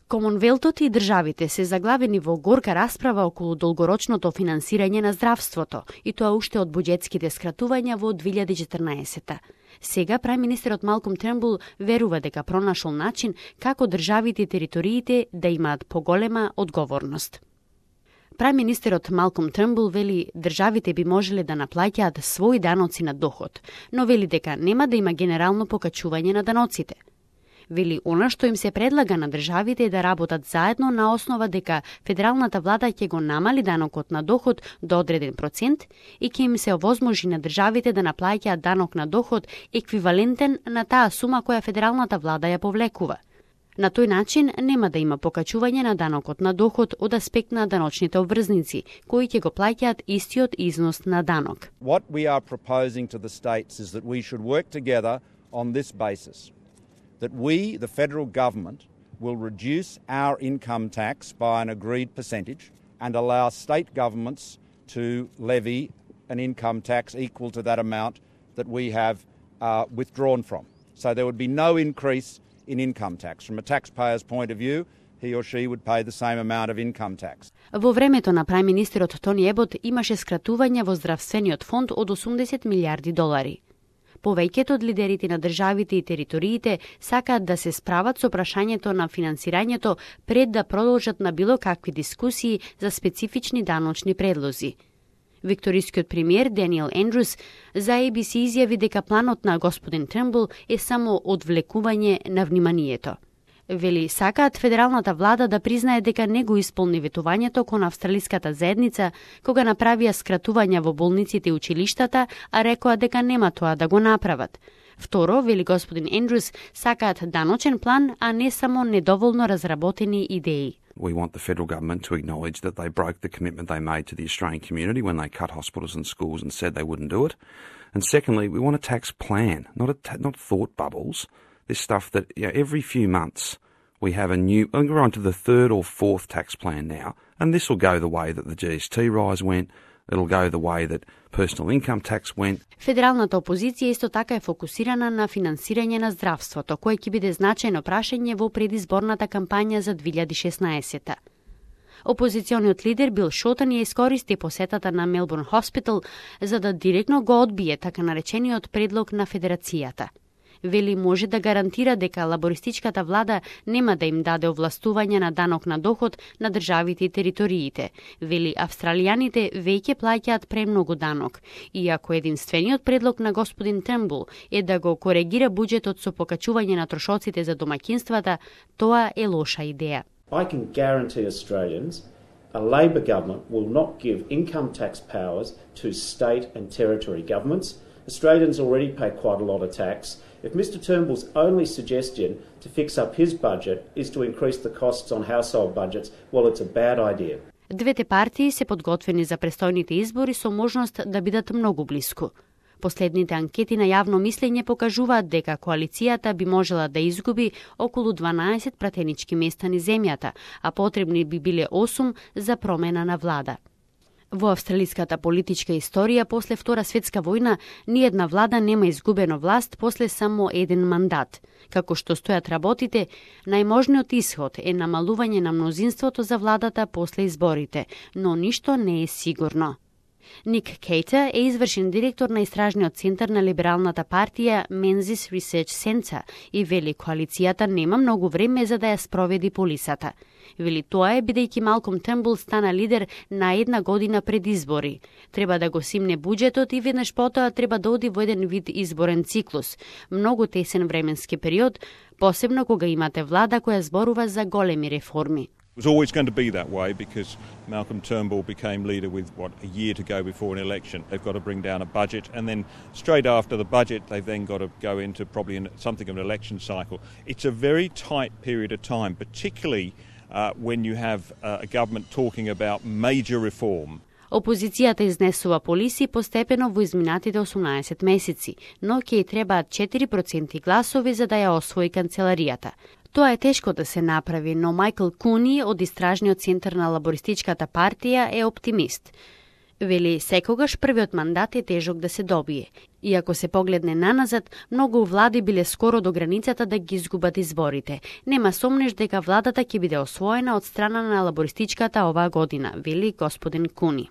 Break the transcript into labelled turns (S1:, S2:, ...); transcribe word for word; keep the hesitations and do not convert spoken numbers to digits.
S1: Комонвелтот и државите се заглавени во горка расправа околу долгорочното финансирање на здравството, и тоа уште од буџетските скратувања во две илјади и четрнаесетта. Сега преминитерот Малком Тернбул верува дека пронашол начин како државите и териториите да имаат поголема одговорност. Преминитерот Малком Тернбул вели државите би можеле да наплаќаат своји даноци на доход, но вели дека нема да има генерално покачување на даноците. Вели она што им се предлага на државите е да работат заедно на основа дека федералната влада ќе го намали данокот на доход до одреден процент и ќе им се овозможи на државите да наплаќаат данок на доход еквивалентен на таа сума која федералната влада ја повлекува. На тој начин нема да има покачување на данокот на доход од аспект на даночните обврзници, кои ќе го плаќаат истиот износ на данок.
S2: What we are proposing to the states is that we should work together on this basis. That we, the federal government, will reduce our income tax by an agreed percentage and allow state governments to levy an income tax equal to that amount that we have uh, withdrawn from. So there would be no increase in income tax. From a taxpayer's point of view, he or she would pay the same amount of income tax.
S1: Во времето на преминитерот Тони Ебот имаше скратување во здравствениот фонд од осумдесет милиарди долари. Повеќето од лидерите на државите и териториите сакаат да се справат со прашањето на финансирањето пред да продолжат на било какви дискусии за специфични даночни предлози. Викторискиот премиер Даниел Ендрус за А Б С изјави дека планот на господин Тернбул е само одвлекување на вниманието. Вели сакаат федералната влада да признае дека не го исполни ветувањето кон австралиската заедница кога направија скратувања во болниците и училиштата, а рекоа дека нема тоа да го направат. Второ, вели господин Ендрус, сакаат даночен план, а не само недоволно разработени идеи.
S3: We want the federal government to acknowledge that they broke the commitment they made to the Australian community when they cut hospitals and schools and said they wouldn't do it. And secondly, we want a tax plan, not a ta- not thought bubbles. This stuff that you know, every few months we have a new, I think we're on to the third or fourth tax plan now, and this will go the way that the G S T rise went, it'll go the way that personal income tax went.
S1: Федералната опозиција исто така е фокусирана на финансирање на здравството, кое ќе биде значајно прашање во предизборната кампања за две илјади и шеснаесетта. Опозициониот лидер Бил Шотен ја искористи посетата на Мелбурн Хоспитал за да директно го одбие така наречениот предлог на Федерацијата. Вели може да гарантира дека лабористичката влада нема да им даде овластување на данок на доход на државите и териториите. Вели австралијаните веќе плаќаат премногу данок, иако единствениот предлог на господин Тернбул е да го коригира буџетот со покачување на трошоците за домаќинствата, тоа е лоша идеја.
S4: I can guarantee Australians a Labor government will not give income tax powers to state and territory governments. Australians already pay quite a lot of tax. If Mister Turnbull's only suggestion to fix up his budget is to increase the costs on household budgets, well, it's a bad idea.
S1: Двете партии се подготвени за престојните избори со можност да бидат многу блиску. Последните анкети на јавно мислење покажуваат дека коалицијата би можела да изгуби околу дванаесет пратенички места низ земјата, а потребни би биле осум за промена на влада. Во австралиската политичка историја после Втора светска војна ниедна влада нема изгубено власт после само еден мандат. Како што стојат работите, најможниот исход е намалување на мнозинството за владата после изборите, но ништо не е сигурно. Ник Кейтер е извршен директор на истражниот центар на либералната партија Menzies Research Centre и вели коалицијата нема многу време за да ја спроведи полисата. Вели тоа е бидејќи Малком Тернбул стана лидер на една година пред избори. Треба да го симне буџетот и веднаш потоа треба да оди во еден вид изборен циклус. Многу тесен временски период, посебно кога имате влада која зборува за големи реформи.
S5: It was always going to be that way because Malcolm Turnbull became leader with, what, a year to go before an election. They've got to bring down a budget, and then straight after the budget, they've then got to go into probably in something of an election cycle. It's a very tight period of time, particularly uh, when you have uh, a government talking about major reform.
S1: Опозицијата изнесува полиси постепено во изминатите осумнаесет месеци, но ќе ѝ требаат четири проценти гласови за да ја освои канцеларијата. Тоа е тешко да се направи, но Мајкл Куни од истражниот центар на лабористичката партија е оптимист. Вели, секогаш првиот мандат е тежок да се добие. И ако се погледне наназад, многу влади биле скоро до границата да ги изгубат изборите. Нема сомнеш дека владата ќе биде освоена од страна на лабористичката оваа година, вели господин Куни.